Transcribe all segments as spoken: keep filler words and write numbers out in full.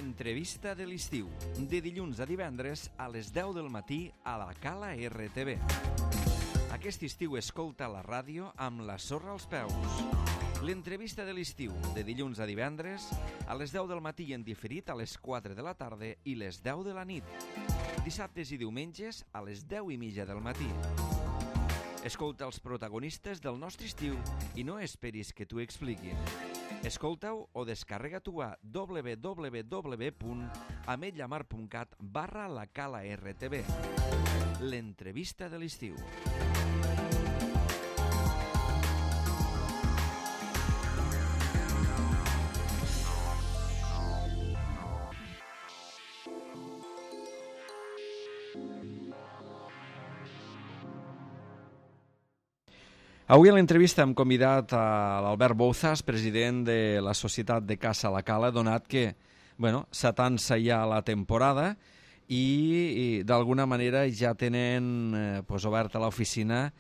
L'entrevista de l'estiu, de dilluns a divendres a les deu del matí a la Cala R T V. Aquest estiu escolta la ràdio amb la sorra als peus. L'entrevista de l'estiu, de dilluns a divendres a les deu del matí i en diferit a les quatre de la tarda i les deu de la nit. Dissabtes i diumenges a les deu i mitja del matí. Escolta els protagonistes del nostre estiu i no esperis que t'ho expliquin. Escolta-ho o descarrega-t'ho a w w w punt ametlllamar punt cat barra la Cala R T V. L'entrevista de l'estiu. Avui a l'entrevista hem convidat a l'Albert Bouzas, president de la Societat de Caça La Cala, donat que bueno, s'atansa ja la temporada i, i d'alguna manera ja tenen eh, pues, oberta l'oficina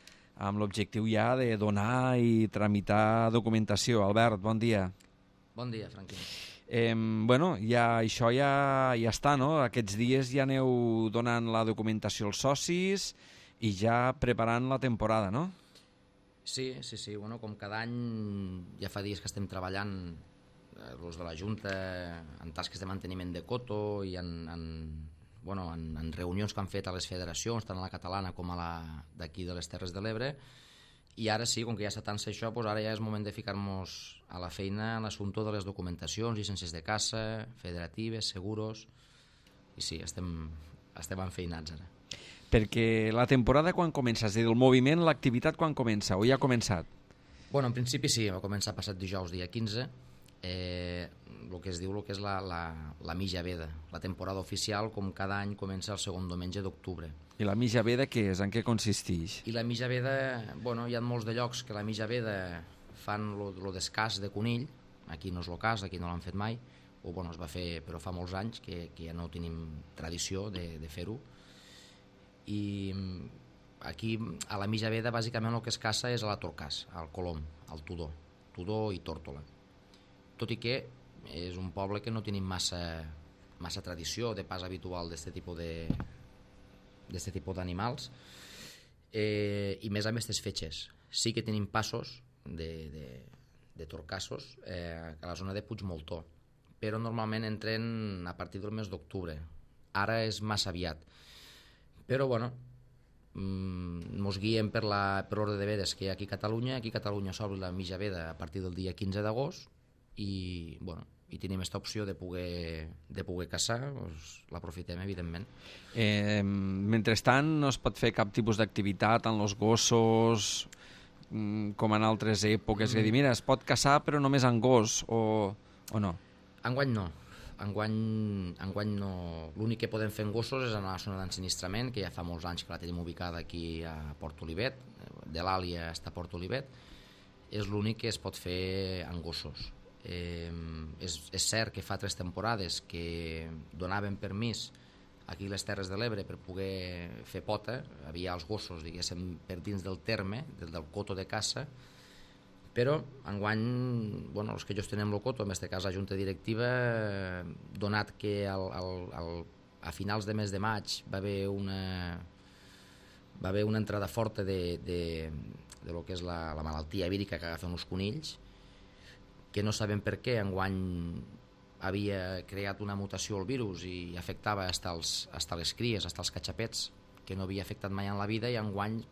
amb l'objectiu ja de donar i tramitar documentació. Albert, bon dia. Bon dia, Franquín. Eh, bueno, ja, això ja, ja està, no? Aquests dies ja aneu donant la documentació als socis i ja preparant la temporada, no? Sí, sí, sí. Bueno, com cada any ja fa dies que estem treballant eh, els de la Junta en tasques de manteniment de coto i en, en, bueno, en, en reunions que han fet a les federacions, tant a la catalana com a la d'aquí de les Terres de l'Ebre. I ara sí, com que ja s'atansa això, doncs ara ja és moment de ficar-nos a la feina en l'assumpte de les documentacions, llicències de caça, federatives, seguros. I sí, estem, estem enfeinats ara. Perquè la temporada quan comença? És a dir, el moviment, l'activitat quan comença? O ja ha començat? Bueno, en principi sí, va començar passat dijous, dia quinze. Eh, el que es diu el que és la, la, la Mitja Veda. La temporada oficial, com cada any, comença el segon diumenge d'octubre. I la Mitja Veda què és? En què consisteix? I la Mitja Veda, bueno, hi ha molts de llocs que la Mitja Veda fan el descàs de conill. Aquí no és el cas, aquí no l'han fet mai. O bueno, es va fer, però fa molts anys que, que ja no tenim tradició de, de fer-ho. I aquí a la Mitja Veda bàsicament el que es caça és a la torcàs, al colom, al tudó, tudó i tórtola. Tot i que és un poble que no tenim massa, massa tradició de pas habitual d'aquest tipus de d'aquest tipus d'animals, eh, i més amb aquestes fetges. Sí que tenim passos de, de, de torcassos eh, a la zona de Puigmoltó, però normalment entren a partir del mes d'octubre. Ara és massa aviat. Però, bueno, ens guiem per l'ordre de vedes que hi ha aquí a Catalunya. Aquí a Catalunya s'obre la Mitja Veda a partir del dia quinze d'agost i, bueno, i tenim aquesta opció de poder, de poder caçar, doncs l'aprofitem, evidentment. Eh, mentrestant, no es pot fer cap tipus d'activitat en els gossos, com en altres èpoques, mm. que dir, mira, es pot caçar però només en gos, o, o no? Enguany no. Enguany, enguany no. L'únic que podem fer en gossos és anar a la zona d'ensinistrament, que ja fa molts anys que la tenim ubicada aquí a Port Olivet, de l'Àlia fins a Port Olivet. És l'únic que es pot fer en gossos. Eh, és, és cert que fa tres temporades que donaven permís aquí a les Terres de l'Ebre per poder fer pota. Havia els gossos, diguéssim, per dins del terme, del, del coto de caça, però enguany, bueno, els que gestionem el coto, en aquest cas la Junta Directiva, donat que al, al, al, a finals de mes de maig va haver una, va haver una entrada forta de, de, de lo que és la, la malaltia vírica que agafen els conills, que no sabem per què enguany havia creat una mutació al virus i afectava fins als, fins les cries, fins als catxapets, que no havia afectat mai en la vida, i enguany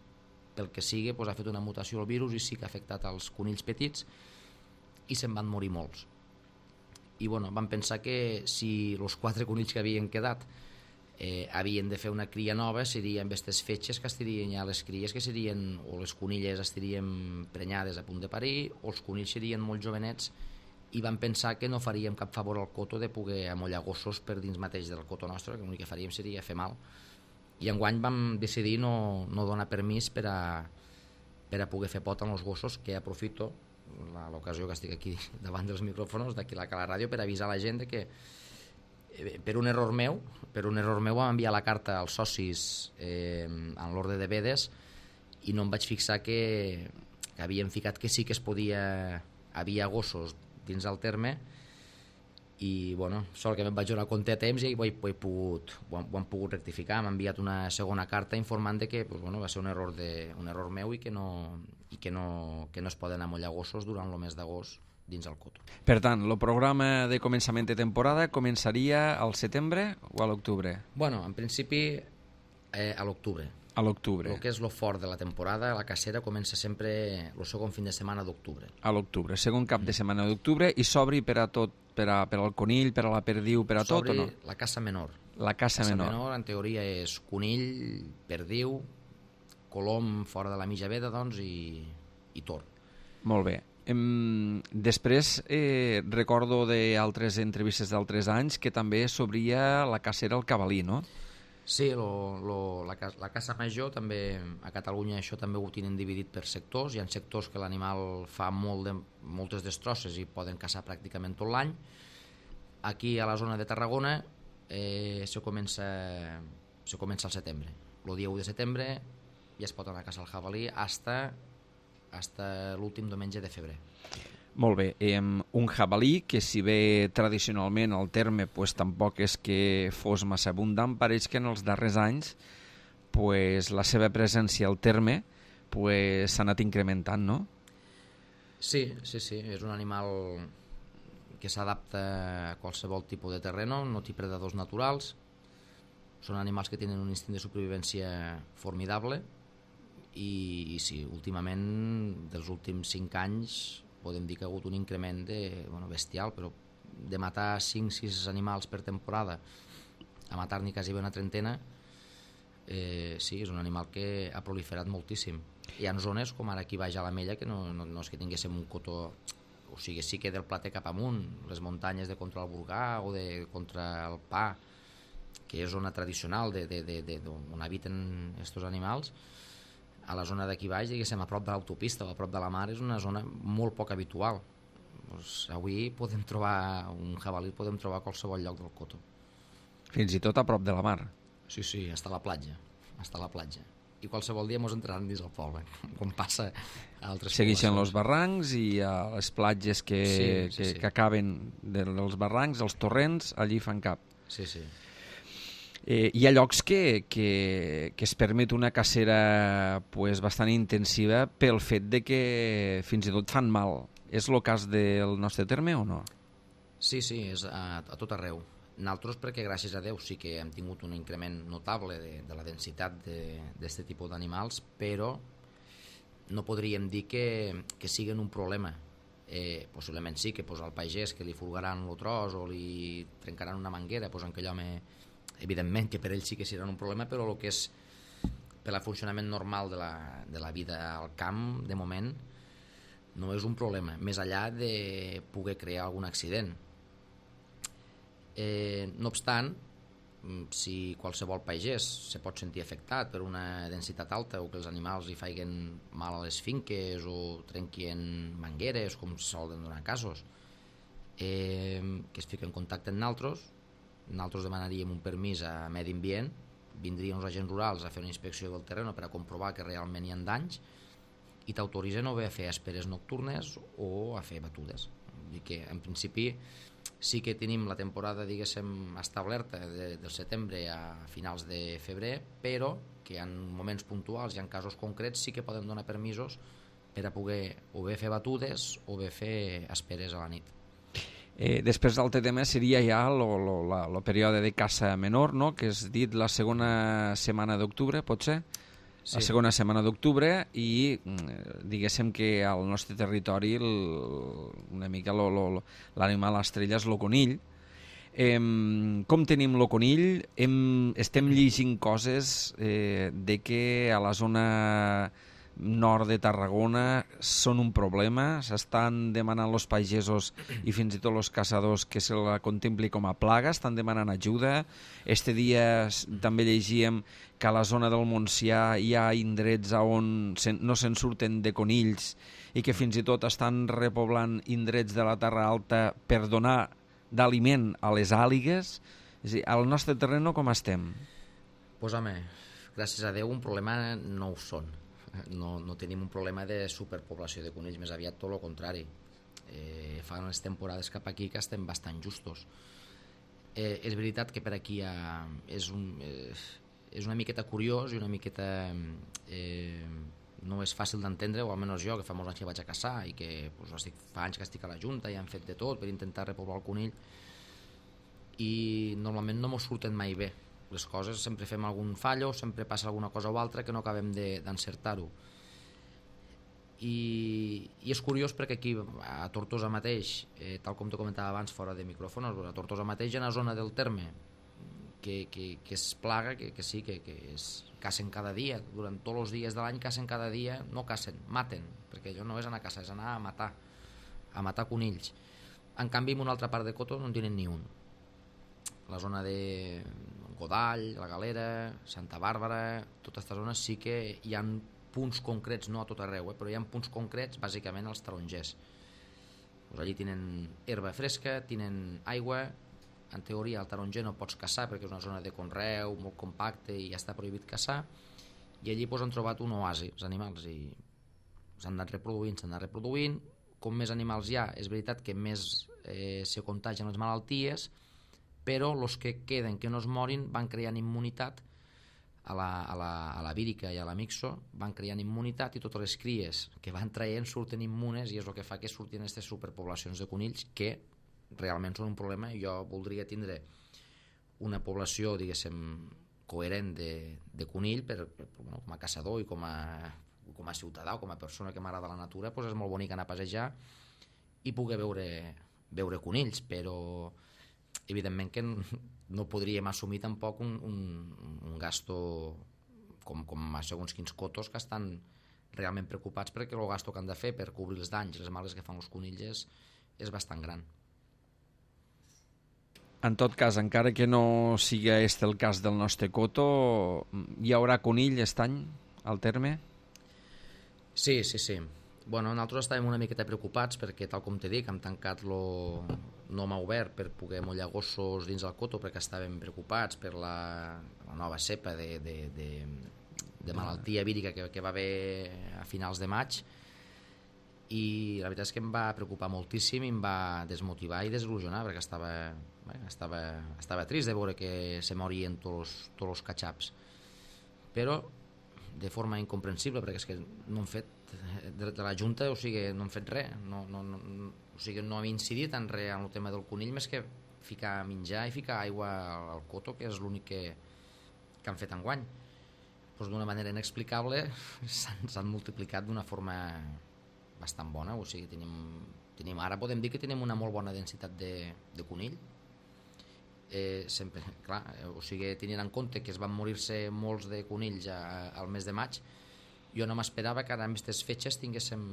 pel que sigui, doncs, ha fet una mutació al virus i sí que ha afectat els conills petits i se'n van morir molts. I bueno, vam pensar que si els quatre conills que havien quedat eh, havien de fer una cria nova, serien aquestes fetges que estarien ja les cries, que serien, o les conilles estarien prenyades a punt de parir, o els conills serien molt jovenets, i vam pensar que no faríem cap favor al coto de poder amollar gossos per dins mateix del coto nostre, que l'únic que faríem seria fer mal. I enguany vam decidir no, no donar permís per a, per a poder fer pot amb els gossos, que aprofito l'ocasió que estic aquí davant dels micròfons d'aquí a la Cala Ràdio per avisar la gent que per un error meu per un error meu vam enviar la carta als socis eh, en l'ordre de vedes i no em vaig fixar que, que havien ficat que sí que es podia, havia gossos dins del terme i bueno, sort que me'n vaig donar compte a temps i ho he, ho he pogut, ho, ho han pogut rectificar. M'ha enviat una segona carta informant de que pues, bueno, va ser un error, de, un error meu i que no, i que no, que no es poden amollar gossos durant el mes d'agost dins el coto. Per tant, el programa de començament de temporada començaria al setembre o a l'octubre? Bueno, en principi eh, a l'octubre. A l'octubre. El que és lo fort de la temporada, la cacera comença sempre el segon fin de setmana d'octubre. A l'octubre, segon cap de setmana d'octubre, i s'obri per a tot, per, a, per al conill, per a la perdiu, per a tot o no? La caça menor. La caça, caça menor. menor, en teoria, és conill, perdiu, colom fora de la mitja veda, doncs, i, i tor. Molt bé. Em, després eh, recordo d'altres entrevistes d'altres anys que també s'obria la cacera al cavalí, no? Sí, lo, lo, la, la caça major també, a Catalunya això també ho tenen dividit per sectors. Hi ha sectors que l'animal fa molt de, moltes destrosses i poden caçar pràcticament tot l'any. Aquí a la zona de Tarragona eh, se, comença, se comença al setembre. El dia u de setembre ja es pot anar a caçar el jabalí hasta, hasta l'últim diumenge de febrer. Molt bé, eh, un jabalí que si bé tradicionalment el terme pues, tampoc és que fos massa abundant, pareix que en els darrers anys pues, la seva presència al terme s'ha pues, anat incrementant, no? Sí, sí, sí, és un animal que s'adapta a qualsevol tipus de terreno, no té predadors naturals, són animals que tenen un instint de supervivència formidable i, i sí, últimament, dels últims cinc anys, podem dir que ha hagut un increment de, bueno, bestial, però de matar cinc sis animals per temporada a matar-n'hi quasi una trentena, eh, sí, és un animal que ha proliferat moltíssim. Hi ha zones, com ara aquí baix a l'Ametlla, que no, no, no és que tinguéssim un cotó, o sigui, sí que del Plater cap amunt, les muntanyes de contra el Burgà o de contra el Pa, que és zona tradicional de, de, de, de, on habiten aquests animals. A la zona d'aquí baix, diguéssim, a prop de l'autopista o a prop de la mar, és una zona molt poc habitual. Pues avui podem trobar un jabalí, podem trobar a qualsevol lloc del coto. Fins i tot a prop de la mar. Sí, sí, està a la platja, està a la platja. I qualsevol dia mos entraran dins el poble, com passa a altres Segueixen els barrancs i a les platges que, sí, sí, que, sí. que acaben dels barrancs, els torrents, allí fan cap. Sí, sí. Eh, hi ha llocs que, que, que es permet una cacera pues, bastant intensiva pel fet de que fins i tot fan mal. És el cas del nostre terme o no? Sí, sí, és a, a tot arreu. Nosaltres perquè gràcies a Déu sí que hem tingut un increment notable de, de la densitat d'aquest tipus d'animals, però no podríem dir que, que siguin un problema. Eh, possiblement sí que pues, al pagès que li fulgaran el tros o li trencaran una manguera, pues, en aquell home evidentment que per ells sí que seran un problema, però el que és per al funcionament normal de la, de la vida al camp, de moment, no és un problema, més enllà de poder crear algun accident. Eh, no obstant, si qualsevol pagès se pot sentir afectat per una densitat alta o que els animals li faiguen mal a les finques o trenquien mangueres, com solen donar casos, eh, que es fiquen en contacte amb nosaltres, nosaltres demanaríem un permís a Medi Ambient, vindrien els agents rurals a fer una inspecció del terreny per a comprovar que realment hi ha danys i t'autoritzen o bé a fer esperes nocturnes o a fer batudes. Vull dir que en principi sí que tenim la temporada, diguéssim, establerta de, del setembre a finals de febrer, però que en moments puntuals i en casos concrets sí que poden donar permisos per a poder o bé fer batudes o bé fer esperes a la nit. Eh, després l'altre tema seria ja el període de caça menor, no? Que és dit la segona setmana d'octubre, pot ser? Sí. La segona setmana d'octubre i diguéssim que al nostre territori el, una mica l'animal estrella és el conill. Eh, com tenim el conill? Hem, estem llegint coses eh, de que a la zona nord de Tarragona són un problema, s'estan demanant els pagesos i fins i tot els caçadors que se la contempli com a plaga, estan demanant ajuda. Este dia també llegíem que a la zona del Montsià hi ha indrets on no se'n surten de conills i que fins i tot estan repoblant indrets de la Terra Alta per donar d'aliment a les àligues. És a dir, al nostre terreny com estem? Pues home, gràcies a Déu un problema no ho són. No, no tenim un problema de superpoblació de conills, més aviat tot el contrari. Eh, fa unes temporades cap aquí que estem bastant justos. Eh, és veritat que per aquí ha, és, un, eh, és una miqueta curiós i una miqueta... Eh, no és fàcil d'entendre, o almenys jo, que fa molts anys que vaig a caçar i que pues, estic, fa anys que estic a la Junta i han fet de tot per intentar repoblar el conill, i normalment no mos surten mai bé les coses, sempre fem algun fallo, sempre passa alguna cosa o altra que no acabem d'encertar-ho. I, i és curiós perquè aquí a Tortosa mateix, eh, tal com te comentava abans fora de micròfons, a Tortosa mateix hi ha una zona del terme que, que, que es plaga, que, que sí, que, que es cacen cada dia, durant tots els dies de l'any cacen cada dia, no cacen, maten, perquè allò no és anar a caçar, és anar a matar, a matar conills. En canvi, en una altra part de Coto no en tenen ni un. La zona de Godall, la Galera, Santa Bàrbara, tota aquesta zona sí que hi ha punts concrets, no a tot arreu, eh, però hi ha punts concrets, bàsicament als tarongers. Pues allí tenen herba fresca, tenen aigua. En teoria al taronger no pots caçar perquè és una zona de conreu molt compacte i ja està prohibit caçar, i allí pues, han trobat un oasi els animals i s'han anat reproduint, s'han anat reproduint. Com més animals hi ha, és veritat que més eh, se contagien les malalties, però els que queden, que no es morin, van creant immunitat a la, a la, a la vírica i a la mixo, van creant immunitat i totes les cries que van traient surten immunes, i és el que fa que surtin aquestes superpoblacions de conills que realment són un problema. Jo voldria tindre una població, diguéssim, coherent de, de conill per, per, bueno, com a caçador i com a, com a ciutadà o com a persona que m'agrada la natura, doncs és molt bonic anar a passejar i poder veure, veure conills, però evidentment que no podríem assumir tampoc un, un, un gasto com, com a segons quins cotos que estan realment preocupats perquè el gasto que han de fer per cobrir els danys i les males que fan els conills és, és bastant gran. En tot cas, encara que no sigui este el cas del nostre coto, hi haurà conill aquest any al terme? Sí, sí, sí. Bueno, nosaltres estàvem una miqueta preocupats perquè, tal com t'he dit, hem tancat lo no m'ha obert per poder mollar gossos dins el coto perquè estàvem preocupats per la, la nova cepa de, de, de, de malaltia vírica que, que va haver a finals de maig, i la veritat és que em va preocupar moltíssim i em va desmotivar i desil·lusionar perquè estava, bé, estava, estava trist de veure que se morien tots, tots els catxaps, però de forma incomprensible perquè és que no han fet de, de la Junta, o sigui, no han fet res, no, no, no, o sigui, no hem incidit en res en el tema del conill més que ficar menjar i ficar aigua al coto, que és l'únic que, que han fet enguany. Pues d'una manera inexplicable s'han multiplicat d'una forma bastant bona, o sigui, tenim, tenim, ara podem dir que tenim una molt bona densitat de, de conill. Eh, sempre, clar, o sigui, tenint en compte que es van morir-se molts de conills a, al mes de maig, jo no m'esperava que ara en aquestes fetges tinguéssim,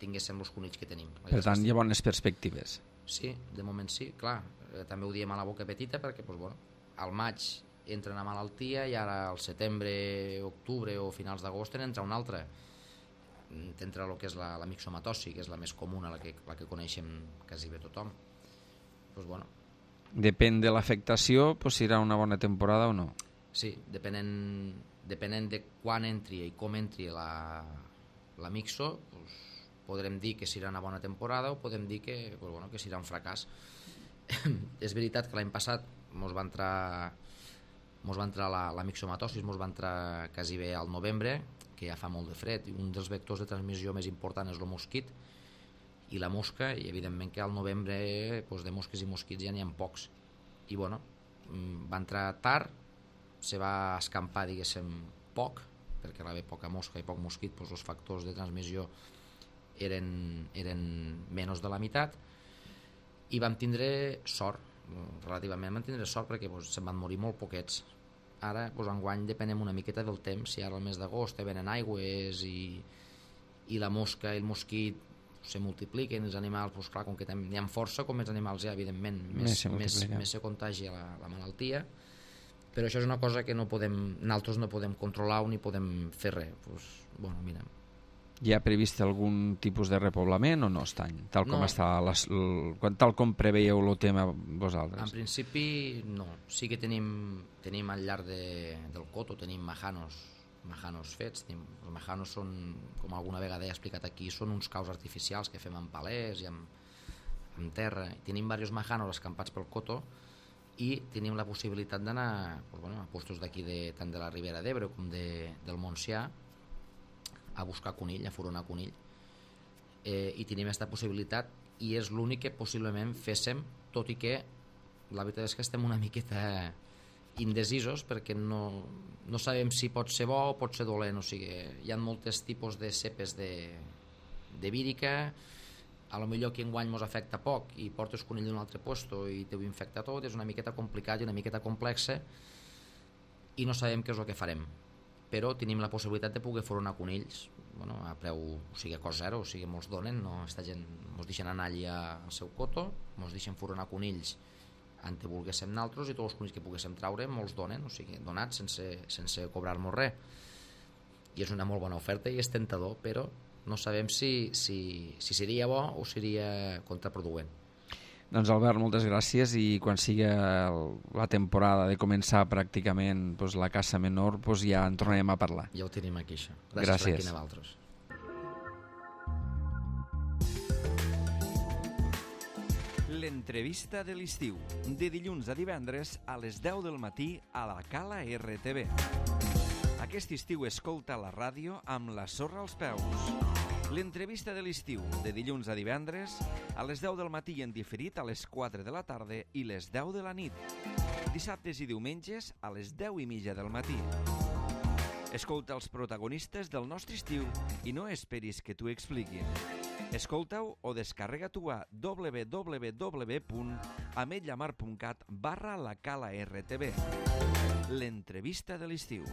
tinguéssim els conills que tenim. Per tant, hi ha bones perspectives. Sí, de moment sí, clar, eh, també ho diem a la boca petita perquè pues, bueno, al maig entra una malaltia i ara al setembre, octubre o finals d'agost entra una altra. T'entra el que és la, la mixomatosi, que és la més comuna, la que, la que coneixem quasi bé tothom. Pues bueno. Depèn de l'afectació, pues, si serà una bona temporada o no. Sí, depenent, depenent de quan entri i com entri la, la mixo, pues, podrem dir que serà una bona temporada o podem dir que, pues, bueno, que serà un fracàs. És veritat que l'any passat mos va entrar, mos va entrar la, la mixomatosi, mos va entrar quasi bé al novembre, que ja fa molt de fred, i un dels vectors de transmissió més important és el mosquit i la mosca, i evidentment que al novembre doncs, de mosques i mosquits ja n'hi ha pocs, i bueno, va entrar tard, se va escampar, diguéssim, poc, perquè va haver poca mosca i poc mosquit, doncs els factors de transmissió eren, eren menys de la meitat, i vam tindre sort, relativament vam tindre sort perquè doncs, se'n van morir molt poquets. Ara, doncs, enguany depenem una miqueta del temps, si ara al mes d'agost venen aigües i, i la mosca i el mosquit se multipliquen, els animals, doncs clar, com que n'hi ha força, com més animals hi ha, evidentment, més, més, se, més, més se contagia la, la malaltia, però això és una cosa que no podem, nosaltres no podem controlar ni podem fer res. Doncs, bueno, mira. Hi ha previst algun tipus de repoblament o no aquest any? Tal com, no. està les, l, tal com preveieu el tema vosaltres? En principi no. Sí que tenim, tenim al llarg de, del coto, tenim majanos, majanos fets. Els majanos són, com alguna vegada he explicat aquí, són uns caus artificials que fem amb palers i amb, amb terra. Tenim diversos majanos escampats pel coto i tenim la possibilitat d'anar pues, bueno, a postos d'aquí de, tant de la Ribera d'Ebre com de, del Montsià a buscar conill, a furonar conill. Eh, I tenim aquesta possibilitat i és l'únic que possiblement féssim, tot i que la veritat és que estem una miqueta indecisos perquè no, no sabem si pot ser bo o pot ser dolent. O sigui, hi ha molts tipus de cepes de, de vírica, a lo millor que enguany ens afecta poc i portes conill d'un altre puesto i t'ho infecta tot, és una miqueta complicat i una miqueta complexa i no sabem què és el que farem, però tenim la possibilitat de poder furonar conills, bueno, a preu, o sigui, a cost zero, o sigui, molts donen, no, esta gent ens deixen anar allà al seu coto, ens deixen furonar conills en què volguéssim naltros i tots els conills que poguéssim traure molts donen, o sigui, donats sense, sense cobrar-nos res. I és una molt bona oferta i és tentador, però no sabem si, si, si seria bo o seria contraproduent. Doncs Albert, moltes gràcies i quan sigui la temporada de començar pràcticament doncs, la caça menor doncs ja en tornarem a parlar. Ja ho tenim aquí, això. Gràcies, gràcies. Franquina Valtros. L'entrevista de l'estiu, de dilluns a divendres a les deu del matí a la Cala R T V. Aquest estiu escolta la ràdio amb la sorra als peus. L'entrevista de l'estiu, de dilluns a divendres, a les deu del matí en diferit a les quatre de la tarda i les deu de la nit. Dissabtes i diumenges a les deu i mitja del matí. Escolta els protagonistes del nostre estiu i no esperis que t'ho expliquin. Escolta-ho o descarrega-t'ho a w w w punt ametlllamar punt cat barra la Cala R T V. L'entrevista de l'estiu.